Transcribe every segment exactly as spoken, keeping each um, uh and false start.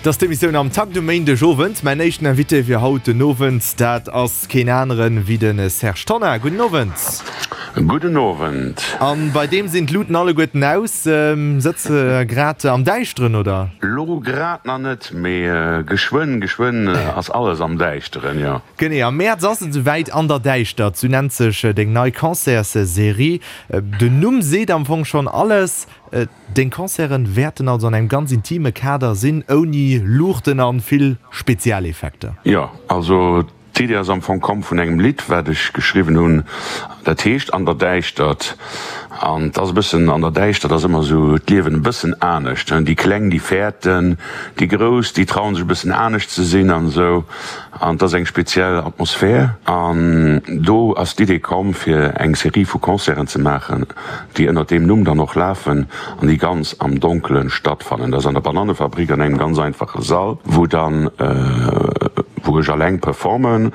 Et ass d'Emissioun Am Takt um Méindeg Owend. Mäin éischten Invité fir haut den Owend, dat ass keen aneren wéi de Serge Tonnar. Gudden Owend. Gudden Owend. An bei deem sinn d'Luten alleguerten aus. Sëtz de grad am Däischteren, oder? Lo grad nach net, mee geschwënn, geschwënn ass alles am Däischteren, jo. Genee, am Mäerz ass et esouwäit, An der Däischtert, sou nennt sech deng nei Concertsserie. Den Numm seet am Fong schonn alles. Deng Concerten wäerten also an engem ganz intime Kader sinn, ouni Luuchten an vill Spezialeffekter. Jo, also d'Idee ass am Fong komm vun engem Lidd, wat ech geschriwwen hunn, dat heescht An der Däischtert. An 't ass e bëssen, an der Däischtert ass ëmmer esou d'Liewen e bëssen anescht, déi Kleng, déi fäerten, déi Grouss, déi trauen sech e bëssen anescht ze sinn an esou. An 't ass eng speziell Atmosphär. An do ass d'Idee komm, fir eng Serie vu Concerten ze maachen, déi ënnert deem Numm dann och lafen an déi ganz am Donkelen stattfannen. Dat ass an der Banannefabrik an engem ganz einfache Sall, wou dann, wou ech alleng performen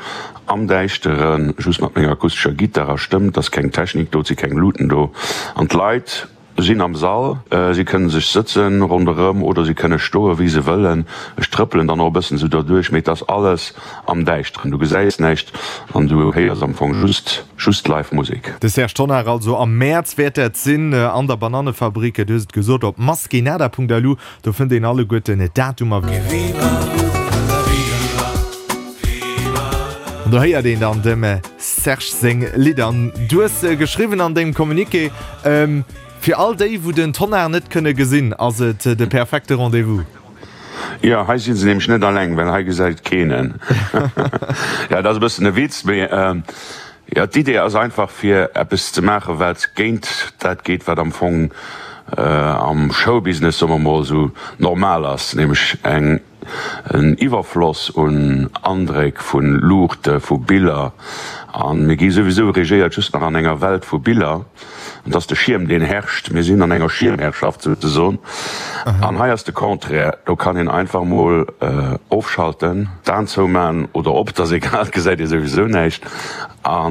am Däischteren, just mat menger akustescher Gittar a Stëmm. Et ass keng Technik do, et si keng Luten do an d'Leit sinn am Sall. Si kënne sech sëtzen ronderëm oder si kënne stoen, wéi se wëllen. Ech trëppelen dann och e bëssen esou derduerch, mee et ass alles am Däischteren. Du gesäis näischt an du héiers am Fong just just live Musek. De Serge Tonnar also am Mäerz wäert dat sinn an der Banannefabrik, du hues et gesot, op maskenada.lu, do fënnt een alleguerten d'Datumer. An do héiert een dann dem Serge seng Lidder. An du hues geschriwwen an dengem Communiqué, Fir all déi, wou den Tonnar net kënne gesinn, ass et de perfekte Rendez-vous. Jo, hei si se nämlech net alleng, well hei gesäit keen en. Jo, dat ass e bëssen e Witz, mee jo, d'Idee ass einfach, fir eppes ze maachen, wat géint dat geet, wat am Fong am Showbusiness, soe mer mol, esou normal ass, nämlech eng en Iwwerfloss un Andréck, vu Luuchte, vu Biller. A mir gi souwisou regéiert just nach an enger Welt vu Biller. An et ass de Schierm, deen herrscht. Mir sinn an enger Schiermherrschaft souzesoen. An hei ass de Contraire, do kann een einfach mol ofschalten, d'Aen zouman oder op, et ass egal, et gesäit ee souwisou näischt. A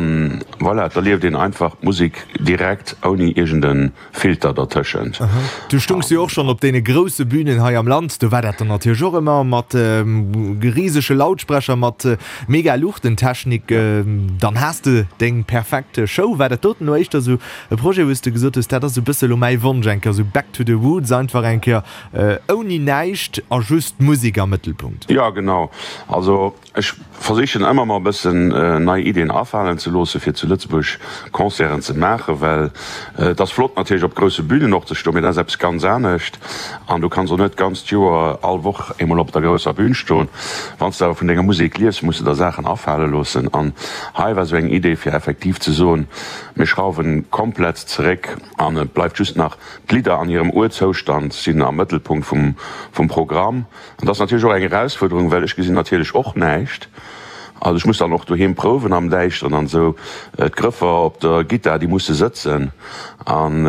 voilà, et erlieft een einfach d'Musek direkt, ouni iergend e Filter dertëschent. Du stungs jo och schonn op deene grousse Bünen hei am Land. Do war dat dann natierlech och ëmmer mat risege Lautsprecher, mat mega Luuchtentechnik. Dann has de deng perfekt Show. War dat doten elo éischter esou e Projet, wou s de gesot hues, dat ass esou e bësse elo mäi Wonsch, eng Kéier esou back to the roots, einfach eng Kéier ouni näischt a just d'Musek am Mëttelpunkt? Jo, genau. Also Ech versichen ëmmer mer e bëssen nei Iddien afalen ze loossen, fir zu Lëtzebuerg Concerten ze maachen, well et ass flott natierlech op grousse Bünen och ze stoen, mee dat ass eppes ganz anescht an du kanns och net d'ganzt Joer all Woch eemol op der grousser Bün stoen. Wann s de awer vun denger Musek liefs, muss de der Saachen afale loossen an hei war sou eng Idee fir effektiv ze soen, mir schrauwen komplett zeréck an et bleift just nach d'Lidder an hirem Urzoustand sinn am Mëttelpunkt vum Programm. An dat ass natierlech och eng Erausfuerderung, well ech gesinn natierlech och näischt. Also ech muss dann och doheem prouwen am Däischteren an esou. D'Grëffer op der Gittar, déi musse sëtzen. An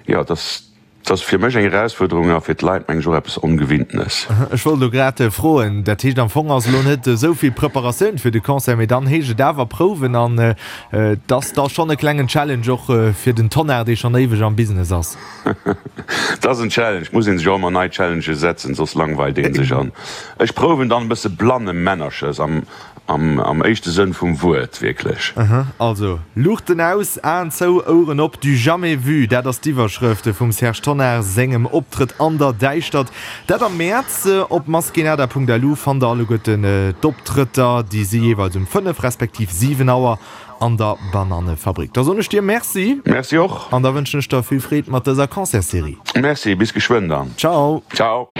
jo, dat ass, dat ass fir mech eng Erausfuerderung a fir d'Leit meng ech och eppes Ongewinntenes. Ech wollt elo grad froen, dat heescht am Fong ass elo net esou vill Preparatioun fir de Concert, mee dann heescht et awer prouwen an et ass da schonn e klengen Challenge och fir den Tonnar, dee schonn éiweg am Business ass. Et ass en Challenge, muss een sech och ëmmer nei Challenges setzen, soss langweilt een sech. An ech prouwen dann e bësse Blannemännerches am am éischte Sënn vum Wuert, wierklech. Also, Luuchten aus, Aen zou, Oueren op, du jamais vu, dat ass d'Iwwerschrëft vum Serge Tonnar sengem Optrëtt an der Däischtert. Dat am Mäerz. Op maskenada.lu fannt der alleguerten d'Optrëtter, déi si jeeweils um fënnef respektiv siwen Auer. An der Banannefabrik. Da soen ech dir Merci. Merci och. An da wënschen ech der vill Freed mat dëser Concertsserie. Merci, bis geschwënn dann. Ciao. Ciao.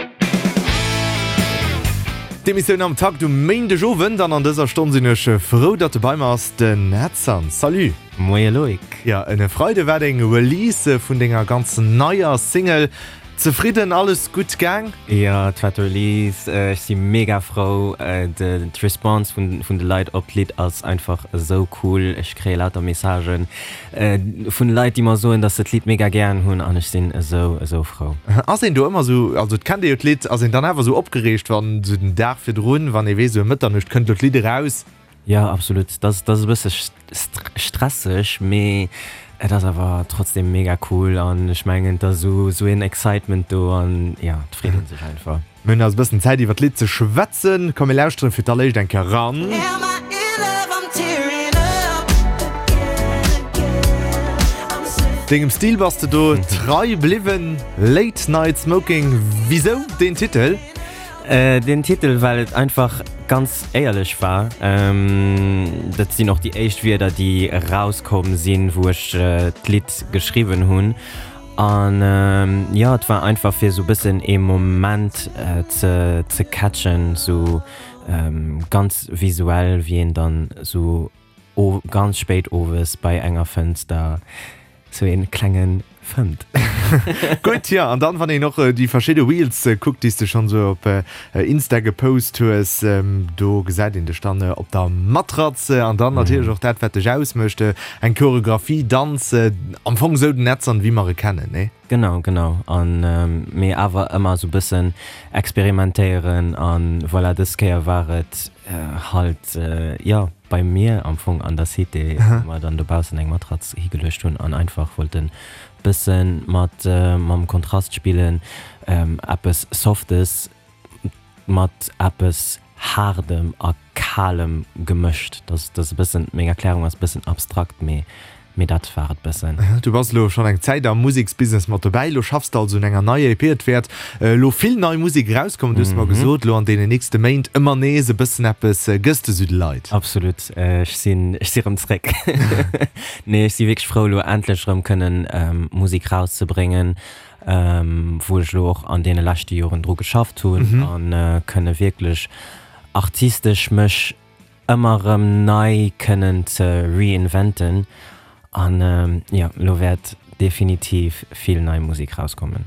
D'Emissioun Am Takt um Méindeg Owend an an dëser Stonn sinn ech frou, datt de bei mer ass, den Edson. Salut. Moie Loïc. Jo, en Freide war deng Release vun denger ganz neier Single. Zefridden, alles gutt gaang? Jo, et war d'Release, ech si mega frou. D'Response vun de Leit op d'Lidd ass einfach esou cool. Ech kréie lauter Messagen vun Leit, déi mer soen, dass se d'Lidd mega gären hunn an ech sinn esou, esou frou. Ass een do ëmmer esou, also et kennt ee jo d'Lidd, ass een dann awer esou opgereegt, wann esou den Dag virdrun, wann ee weess, esou ëm Mëtternuecht kënnt elo d'Lidd eraus? Jo, absolut. Dat ass e bësse stresseg, mee Et ass awer trotzdem mega cool an ech mengen et ass esou esou een Excitement do an jo et freet een sech einfach. Mir hunn also e bëssen Zäit iwwer d'Lidd ze schwätzen. Komm mir lauschteren fir d'alléischt eng Kéier eran. Dengem Stil bass de do trei bliwwen. Late Night Smoking, wisou deen Titel? Den Titel, well et einfach ganz éierlech war. Dat sinn och déi éischt Wierder, déi erauskomm sinn, wou ech d'Lidd geschriwwen hunn. An jo, et war einfach fir esou e bëssen ee Moment ze ze catchen, esou ganz visuell, wéi een dann esou ganz spéit owes bei enger Fënster Sou een klengen fëmmt. Gutt, jo, an dann wann een och déi verschidde Reels kuckt, déi s de schonn sou op Insta gepost hues, do gesäit een dech dann op der Matratz an dann natierlech och dat wat dech ausmécht, eng Choreographie, Danz, am Fong sou den Edson wéi mer e kennen, nee? Genau, genau, an mee awer ëmmer sou bëssen experimentéieren an voilà, dës Kéier war et halt, jo, bei mir am Fong an der Cité, wou mer dann dobaussen eng Matratz higeluecht hunn an einfach wollten bëssen mat mam Kontrast spillen, eppes Softes mat eppes Haardem a Kalem gemëscht. Dat ass e bëssen, meng Erklärung ass e bëssen abstrakt, mee Mee dat war et bëssen. Du bass elo schonn eng Zäit am Museksbusiness mat dobäi. Elo schaffs de also un enger neier E P. Et wäert elo vill nei Musek erauskommen, du hues mer gesot, elo an deenen nächste Méint ëmmer nees e bëssen eppes gëss de sou de Leit. Absolut, ech sinn, ech si rëm zréck. Nee, ech si wierklech frou elo endlech erëm kënnen Musek erauszebréngen, wou ech elo och an deene leschte Joren dru geschafft hunn a kënne wierklech artistesch mech ëmmer erëm nei kënnen ze reinventen an jo, elo wäert definitiv vill nei Musek rauskommen.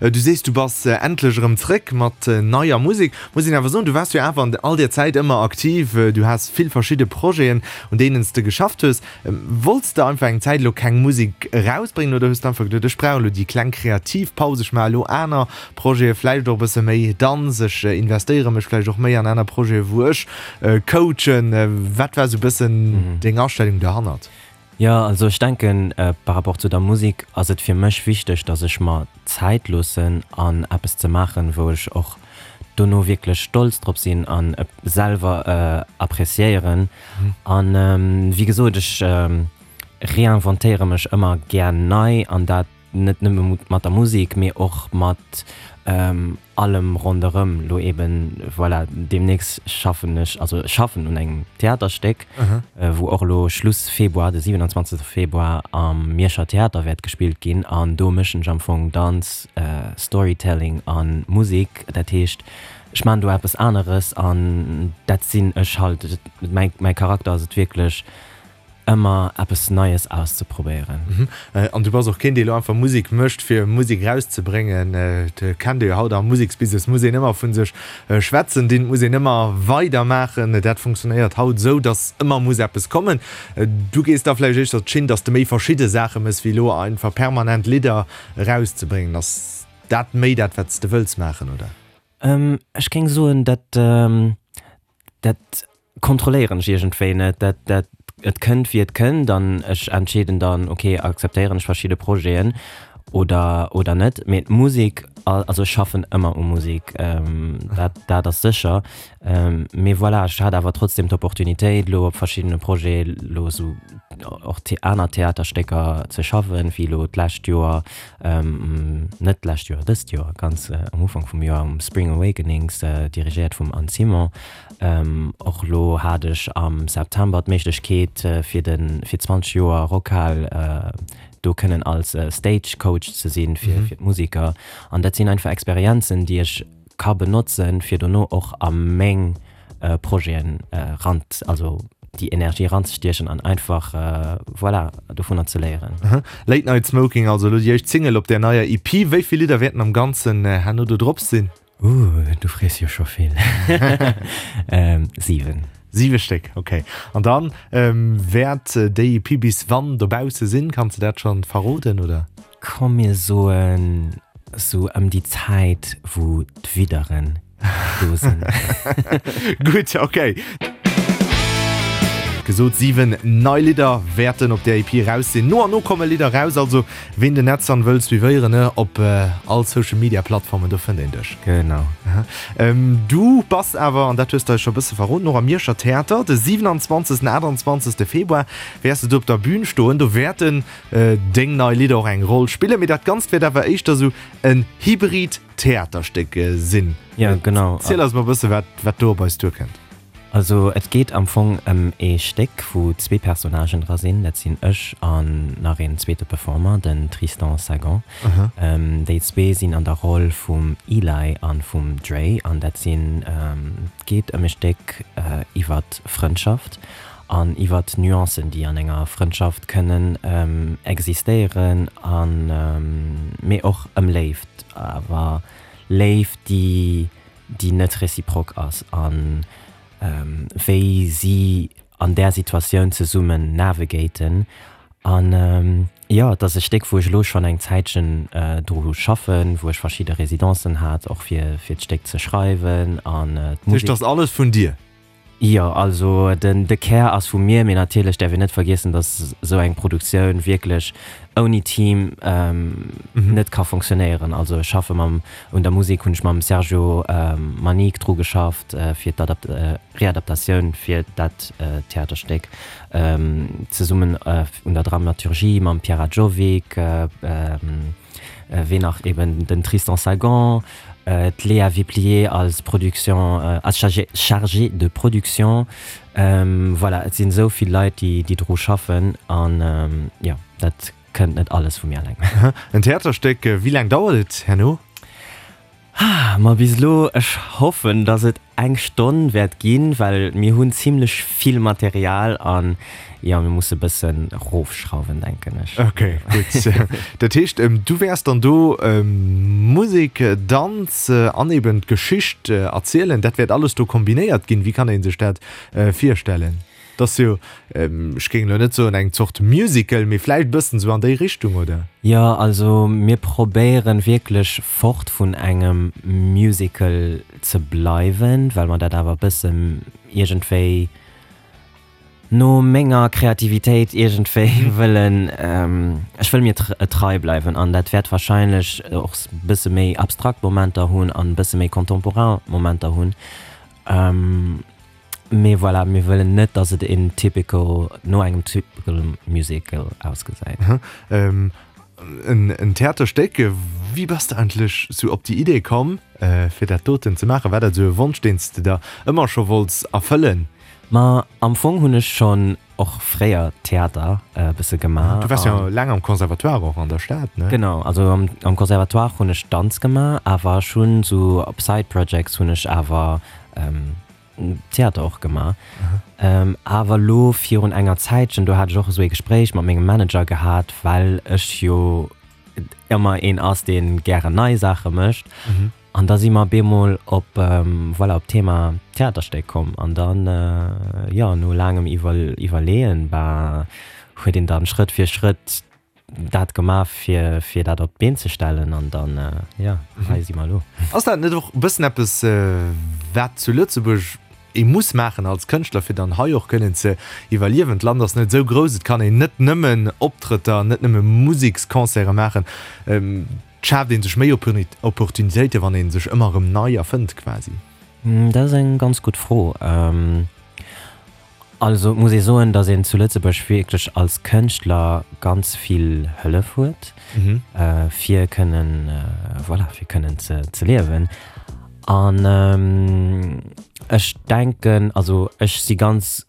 Du sees du bass endlech erëm zréck mat neier Musek. Muss een awer soen, du waars jo awer an all där Zäit ëmmer aktiv, du has vill verschidde Projeten un deenen s de geschafft hues. Wollts de einfach eng Zäit elo keng Musek erausbréngen oder hues de einfach geduet, ech brauch elo déi kleng kreativ Paus, ech maache elo aner Projete, vläicht och e bësse méi Danz, ech investéiere mech vläicht och méi an aner Projete wou ech coachen. Wat war esou e bëssen deng Astellung dohannert? Jo, also ech denken, par rapport zu der Musek ass et fir mech wichteg, datt ech mer Zäit loossen an eppes ze maachen, wou ech och dono wierklech stolz drop sinn an et selwer appreciéieren. An wéi gesot, ech réinventéiere mech ëmmer gär nei an dat net nëmme mat der Musek, mee och mat allem ronderëm. Lo eben, voilà, deemnächst schaffen ech, also ech schaffen un engem Theaterstéck, wou och elo Schluss Februar, de siwenanzwanzegste Februar am Mierscher Theater wäert gespillt ginn. An do mëschen ech am Fong Danz, Storytelling a Musek. Dat heescht, ech maachen do eppes aneres an dat sinn ech halt. Mäi mäi Charakter ass et wierklech, ëmmer eppes Neies auszeprobéieren. An du bass och keen, dee elo einfach Musek mécht, fir Musek erauszebréngen. Et kennt ee jo haut am Museksbusiness, muss een ëmmer vu sech schwätzen dinn, et muss een ëmmer weidermaachen. Dat funktionéiert haut esou, datt ëmmer muss eppes kommen. Du gees da vläicht éischter d'Schinn, datt s de méi verschidde Saache méchs, wéi elo einfach permanent Lidder erauszebréngen. Ass dat méi dat, wat s de wëlls maachen, oder? Ech géing soen, dat dat kontrolléieren ech iergendwéi net. Dat, dat, et kënnt wéi et kënnt an ech entscheeden dann, ok, akzeptéieren ech verschidde Projeten oder, oder net. Mee d'Musek, also ech schaffen ëmmer u Musek, dat, dat ass sécher. Mee voilà, ech hat awer trotzdem d'Opportunitéit elo op verschiddene Projete elo esou och aner Theaterstécker ze schaffen, wéi elo d'lescht Joer, net d'lescht Joer, dëst Joer, ganz am Ufank vum Joer um Spring Awakenings, dirigéiert vum Anne Simon. Och elo hat ech am September d'Méiglechkeet fir de fir zwanzeg Joer Rockhal do kënnen als Stage Coach ze sinn fir fir d'Musiker. An dat sinn einfach Experienzen, déi ech ka benotzen, fir dono och a meng Projeten eran, also déi Energie eranzestiechen an einfach voilà dovunner ze léieren. Late Night Smoking, also elo déi éischt Single op där neier E P. Wéi vill Lidder wäerten am Ganzen herno do drop sinn? Ooh, du frees jo scho vill. Siwen. Siwe Stéck, ok. An dann wäert déi E P bis wann dobausse sinn? Kanns de dat schonn verroden, oder? Komm mir soen sou ëm déi Zäit wou d'Widderen do sinn. Gutt, ok. gesot, siwen nei Lidder wäerten op där E P eraus sinn. No an no komme Lidder eraus, also ween den Edson wëll suivéieren, ne, op all Social Media Plattformen, do fënnt een dech. Genau. Du bass awer, an dat hues de eis scho e bësse verroden, och am Mierscher Theater de siwenanzwanzegsten, aachtanzwanzegste Februar wäers de do op der Bün stoen. Do wäerten deng nei Lidder och eng Roll spillen, mee dat Ganzt wäert awer éischter sou en hybrid Theaterstéck sinn. Jo, genau. Ziel eis mol e bësse wat, wat do op eis duerkënnt. Also et geet am Fong ëm ee Stéck, wou zwee Personnagen dra sinn. Dat sinn ech an nach een zweete Performer, den Tristan Sagan. Déi zwee sinn an der Roll vum Eli an vum Dre an dat sinn, et geet ëm e Stéck iwwert Frëndschaft an iwwert d'Nuancen, déi an enger Frëndschaft kënnen existéieren an mee och ëm Léift, awer Léift, déi déi net réciproque ass an wéi si an där Situatioun zesummen navigaten. An jo, et ass e Stéck, wou ech elo schonn eng Zäitchen dru schaffen, wou ech verschidde Residencen hat, och fir fir d'Stéck ze schreiwen an d'Musek. Dat heescht, dat ass alles vun dir? Jo, also den de Kär ass vu mir, mee natierlech däerf een net vergiessen, datt esou eng Produktioun wierklech ouni Team net ka fonctionnéieren. Also ech schaffe mam, un der Musek hunn ech mam Sergio Manique dru geschafft fir d'Readaptatioun fir dat Theaterstéck, zesummen un der Dramaturgie mam Pierre Adjovic, ween nach, eben den Tristan Sagan, d'Léa Viplier als Production, als Chargée de production. Voilà, et sinn esou vill Leit, déi déi dru schaffen an jo, dat kënnt net alles vu mir eleng. En Theaterstéck, wéi laang dauert et herno? Ma bis elo, ech hoffen, dass et eng Stonn wäert ginn, well mir hunn zimlech vill Material an jo, mir musse bëssen erofschrauwen, denken ech. Ok, gutt. Dat heescht, du wäers dann do Musek, Danz an eben d'Geschicht erzielen. Dat wäert alles do kombinéiert ginn. Wéi kann ee sech dat virstellen? Et ass jo, ech géing elo net soen eng Zort Musical, mee vläicht e bëssen esou an déi Richtung, oder? Jo, also mir probéieren wierklech fort vun engem Musical ze bleiwen, well mer dat awer e bëssen iergendwéi no menger Kreativitéit iergendwéi wëllen, ech wëll mir trei bleiwen an dat wäert wahrscheinlech och e bësse méi abstrakt Momenter hunn an e bësse méi contemporain Momenter hunn. Mee voilà, mir wëllen net, dass et een typical, no engem typical Musical ausgesäit. En Theaterstéck, wéi bass de eigentlech sou op déi Idee komm, fir dat doten ze maachen? War dat sou e Wonsch, deen s de der ëmmer scho wollts erfëllen? Ma am Fong hunn ech schonn och fréier Theater e bësse gemaach. Du waars jo laang am Conservatoire och an der Stad, ne? Genau, also am Conservatoire hunn ech Danz gemaach, awer ech hunn sou op Side Projects hunn ech awer Theater och gemaach. Awer elo virun enger Zäitchen, do hat ech och esou ee Gespréich mat mengem Manager gehat, well ech jo ëmmer een ass, dee gären nei Saache mécht. An da si mer bemol op, voilà, op d'Thema Theaterstéck komm. An dann, jo, no laangem Iwwerleeën, bah, huet een dann Schrëtt fir Schrëtt dat gemaach fir fir dat op d'Been ze stellen an dann jo hei si mer elo. Ass dat net och e bëssen eppes wat zu Lëtzebuerg ee muss maachen als Kënschtler fir dann hei och kënnen ze iwwerliewen? D'Land ass net esou grouss, et kann een net nëmmen Optrëtter, net nëmme Museksconcerte maachen. Et schaaft ee sech méi Opportunitéiten, wann ee sech ëmmer erëm nei erfënnt quasi. Dat ass eng ganz gutt Fro. Also et muss ee soen, datt een zu Lëtzebuerg wierklech als Kënschtler ganz vill Hëllef huet, fir kënnen, voilà, fir kënnen ze ze liewen. An ech denken, also ech si ganz,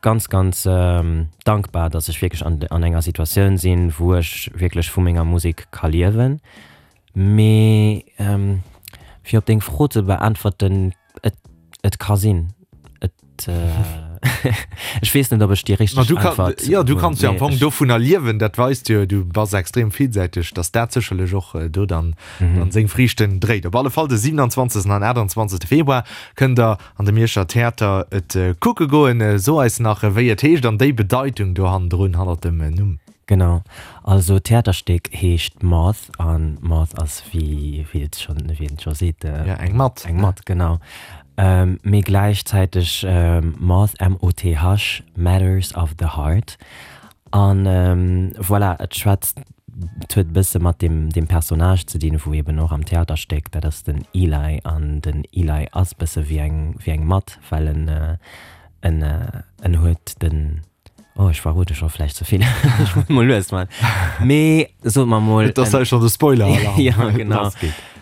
ganz, ganz dankbar, datt ech wierklech an an enger Situatioun sinn, wou ech wierklech vu menger Musek ka liewen. Mee fir op deng Fro ze beäntwerten, et et ka sinn. Et ech weess net, ob ech déi richteg Äntwert hunn. Jo, du kanns jo am Fong dovunner liewen. Dat weist jo, du bass extrem villsäiteg, datt dat sécherlech och do dann seng Friichten dréit. Op alle Fall de siwenanzwanzegsten an aachtanzwanzegste Februar kënnt der an de Mierscher Theater et kucke goen. So eis nach, wéi et heescht an déi Bedeitung do hannendrun, hannert dem Numm. Genau, also d'Theaterstéck heescht Moth an Moth ass wéi wéi et schonn wéi een et scho seet, Ja, eng Matt. Eng Matt, genau. Mee gläichzäiteg Moth, M O T H, Matters of the Heart. An voilà, et schwätzt, et huet e bësse mat deem, deem Personnage ze dinn, wou eben och am Theaterstéck, dat ass den Eli, an den Eli ass bësse wéi eng, wéi eng Matt, well en, en, en huet den, oh ech verrode scho vläicht ze vill, ech muss mol lues man, mee soe mer mol, Et ass hei schonn de Spoiler-Alarm. Ja, genau.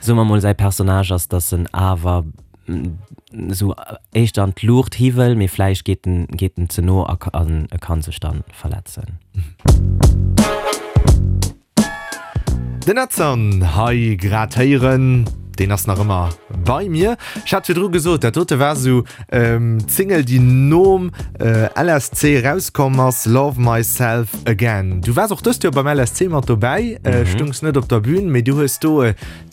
Soe mer mol, säi Personnage ass, dass en awer sou éischter an d'Luucht hi wëll, mee vläicht geet en, geet en ze no a an e kann sech dann verletzen. Den Edson hei grad héieren, deen ass nach ëmmer bei mir. Ech hat virdru gesot, dat dote war sou d'Single, déi nom L S C erauskomm ass, Love Myself Again. Du waars och dëst Joer beim L S C mat dobäi, stungs net op der Bün, mee du hues do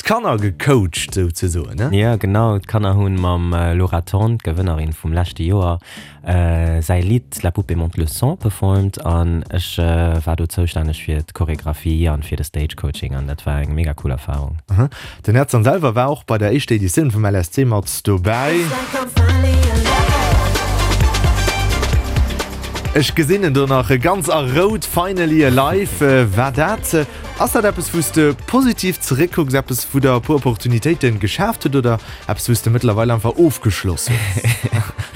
d'Kanner gecoacht souzesoen, ne? Jo, genau, d'Kanner hunn mam Laura Thorn, d'Gewënnerin vum leschte Joer, säi Lidd La poupée monte le son performt an ech war do zoustänneg fir d'Choregraphie an fir de Stage Coaching an dat war eng mega cool Erfarung. Den Edson selwer war och bei der éischter Editioun vum L S C mat dobäi. Ech gesinn en do nach ganz a rout, Finally Alive war dat. Ass dat eppes wou s de positiv zeréckkucks, eppes wou der e puer Opportunitéiten geschaaft huet oder eppes wou s de mëttlerweil einfach ofgeschloss hues?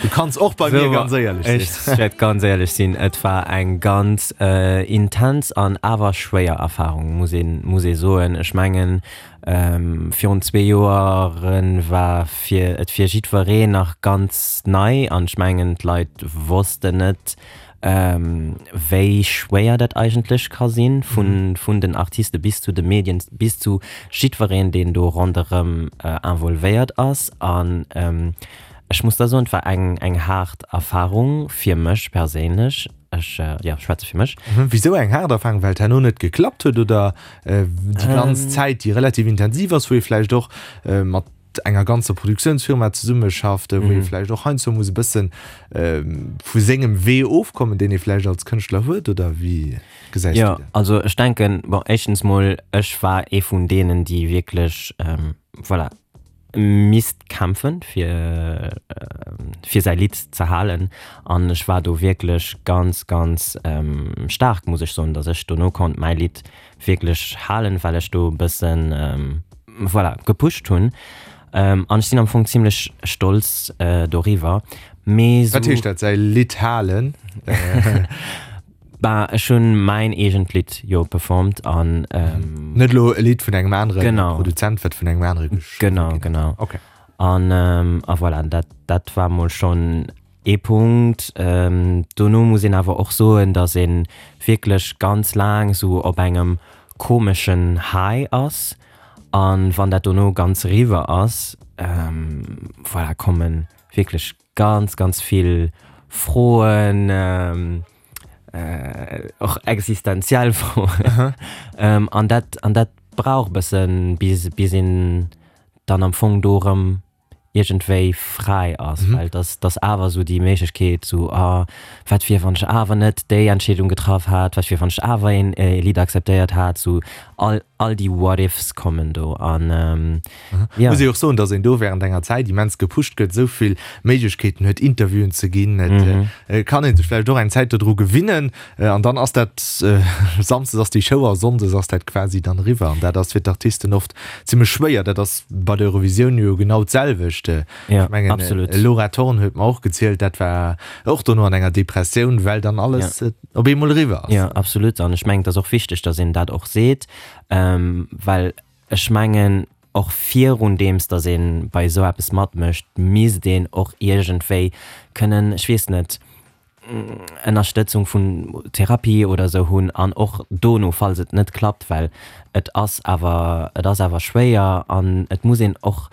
Du kanns och bei mir ganz éierlech sinn. Ech wäert ganz éierlech sinn, et war eng ganz intens an awer schwéier Erfarung, muss ee muss ee soen. Ech mengen virun zwee Joere war fir et fir jiddwereen nach ganz nei an ech mengen d'Leit wossten net, wéi schwéier dat eigentlech ka sinn, vun vun den Artiste bis zu de Medien, bis zu jiddwereen, deen do ronderëm involvéiert ass. An ech muss da soen, et war eng eng haart Erfarung fir mech perséinlech. Ech, jo, schwätze fir mech. Wisou eng haart Erfarung? Well et herno net geklappt huet oder déi ganz Zäit, déi relativ intensiv ass, wou ee vläicht och mat enger ganzer Produktiounsfirma zesummeschafft, wou ee vläicht och heiansdo muss e bësse vu sengem Wee ofkommen, deen ee vläicht als Kënschtler huet, oder wéi gesäis du dat? Jo, also ech denken, bon, éischtens mol, ech war ee vun deenen, déi wierklech, voilà, misst kämpfen, fir fir säi Lidd ze halen an ech war do wierklech ganz, ganz staark, muss ech soen, datt ech dono konnt mäi Lidd wierklech halen, well ech do e bëssen, voilà, gepusht hunn an ech sinn am Fong zimlech stolz doriwwer. Mee Wat heescht dat, säi Lidd halen? Bah, ech hunn mäin eegent Lidd jo performt an. Net elo e Lidd vun engem anere Produzent, wat vun engem anere geschriwwen ginn ass. Genau, genau. Okay. An, a voilà, dat, dat war mol schonn ee Punkt. Dono muss een awer och soen, datt ee wierklech ganz laang esou op engem komeschen High ass. An wann dat dono ganz eriwwer ass, voilà, komme wierklech ganz, ganz vill Froen, och existenziell Froen. An dat, an dat brauch e bëssen, bis, bis een dann am Fong do erëm iergendwéi fräi ass, well et ass, et ass awer esou déi Méiglechkeet, esou, ah, wat wier, wann ech awer net déi Entscheedung getraff hätt, wat wier, wann ech awer een Lidd akzeptéiert hätt, esou all, all déi What ifs kommen do an jo. Muss ee och soen, datt een do während enger Zäit immens gepusht gëtt, esou vill Méiglechkeeten huet, Interviewen ze ginn. Et kann ee sech vläicht och eng Zäit dodru gewinnen an dann ass dat, samsdes ass déi Show a sonndes ass dat quasi dann eriwwer an dat ass fir d'Artisten oft zimmlech schwéier. Dat ass bei der Eurovisioun jo genau d'selwecht. Ech mengen, Laura Thorn huet mer och gezielt, dat war och dono an enger Depressioun, well dann alles op eemol eriwwer ass. Jo, absolut. An ech mengen, et ass och wichteg, datt een dat och seet, well ech mengen, och virun deems, datt ee bei esou eppes matmécht, misst een och iergendwéi kënnen, ech weess net, Ënnerstëtzung vun Therapie oder esou hunn an och dono, falls et net klappt, well et ass awer, et ass awer schwéier an et muss een och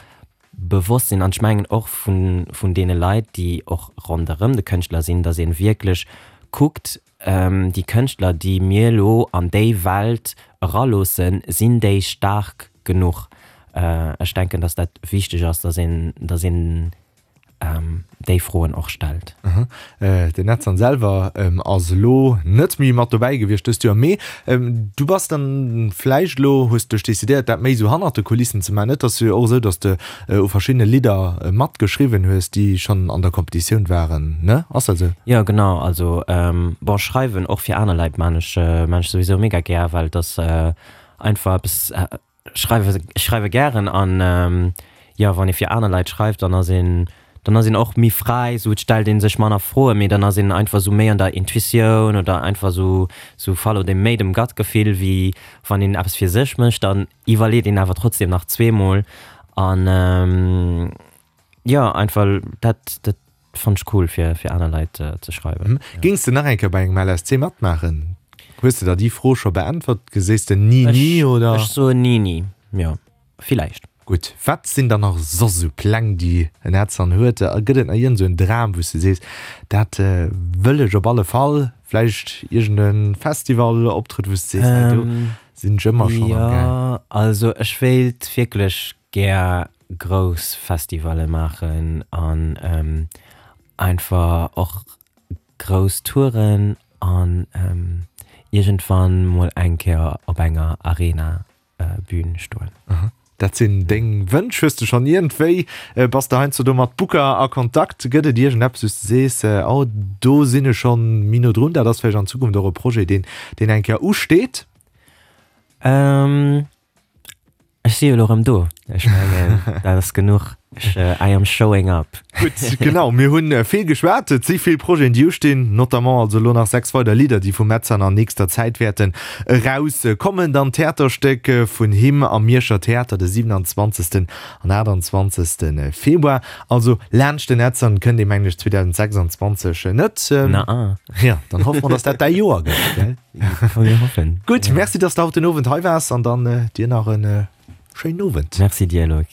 bewosst sinn an ech mengen och vun, vun deene Leit, déi och ronderëm de Kënschtler sinn, datt ee wierklech kuckt, déi Kënschtler, déi mir elo an déi Welt eraloossen, sinn déi staark genuch? Ech denken, datt dat wichteg ass, datt een, datt een déi Froen och stellt. Den Edson selwer ass elo net méi mat dobäi gewiescht dëst Joer, mee du bass dann vläicht elo, hues dech decidéiert, dat méi esou hannert de Kulissen ze maachen. Et ass jo och esou, datt s de u verschiddene Lidder matgeschriwwen hues, déi schonn an der Kompetitioun waren, ne? Ass dat esou? Jo, genau. Also bon, schreiwen och fir aner Leit maan ech, maan ech souwisou mega gär, well et ass einfach eppes, schreiwe, ech schreiwe gären an jo, wann ee fir aner Leit schreift, dann ass een, dann ass een och méi fräi, sou et stellt ee sech manner Froen, mee dann ass een einfach sou méi an der Intuitioun oder einfach sou, sou follow dem méi dem Gut-Gefill, wéi wann een eppes fir sech mécht, dann iwwerleet een awer trotzdem nach zweemol an jo, einfach dat, dat fannt ech cool fir, fir aner Leit ze schreiwen. Géings de nach eng Kéier bei engem L S C matmaachen? Hues de der déi Fro scho beäntwert? Sees de ni ni oder? Ech soen ni ni, jo, villäicht. Gutt, wat sinn dann nach soss esou Pläng, déi en Edson huet? Gëtt et nach iergend esou en Dram, wou s de sees, dat wëll ech op alle Fall? Vläicht iergend e Festival-Optrëtt, wou s de sees, hei do sinn ech ëmmer schonn am gaang? Jo, also ech wéilt wierklech gär grouss Festivalle maachen an einfach och grouss Touren an iergendwann mol eng Kéier op enger Arena-Bühn stoen. Dat sinn deng Wënsch. Hues de schonn iergendwéi, bass de heiansdo do mat Booker a Kontakt? Gëtt et iergendeppes, wou s de sees, oh do sinn ech schonn méi no drun, dat ass vläicht an Zukunft och e Projet, deen, deen eng Kéier usteet? Ech si jo elo erëm do. Ech mengen, dat ass genuch. Ech, I am showing up. Gutt, genau, mir hunn vill geschwat. Et si vill Projeten, déi ustinn, notamment also elo nach sechs weider Lidder, déi vum Metzan an nächster Zäit wäerten erauskommen. Dann d'Theaterstéck vun him am Mierscher Theater de siewenundzwanzegsten an aachtundzwanzegste Februar. Also laanscht den Edson kënnt ee mengen ech zweedausendsechsundzwanzeg net. Na. Ja, dann hoffe mer, dass dat däi Joer gëtt, gell? Mir hoffen. Gutt, merci, dass de haut den Owend hei waars an dann dir nach e schéinen Owend. Merci dir, Loïc.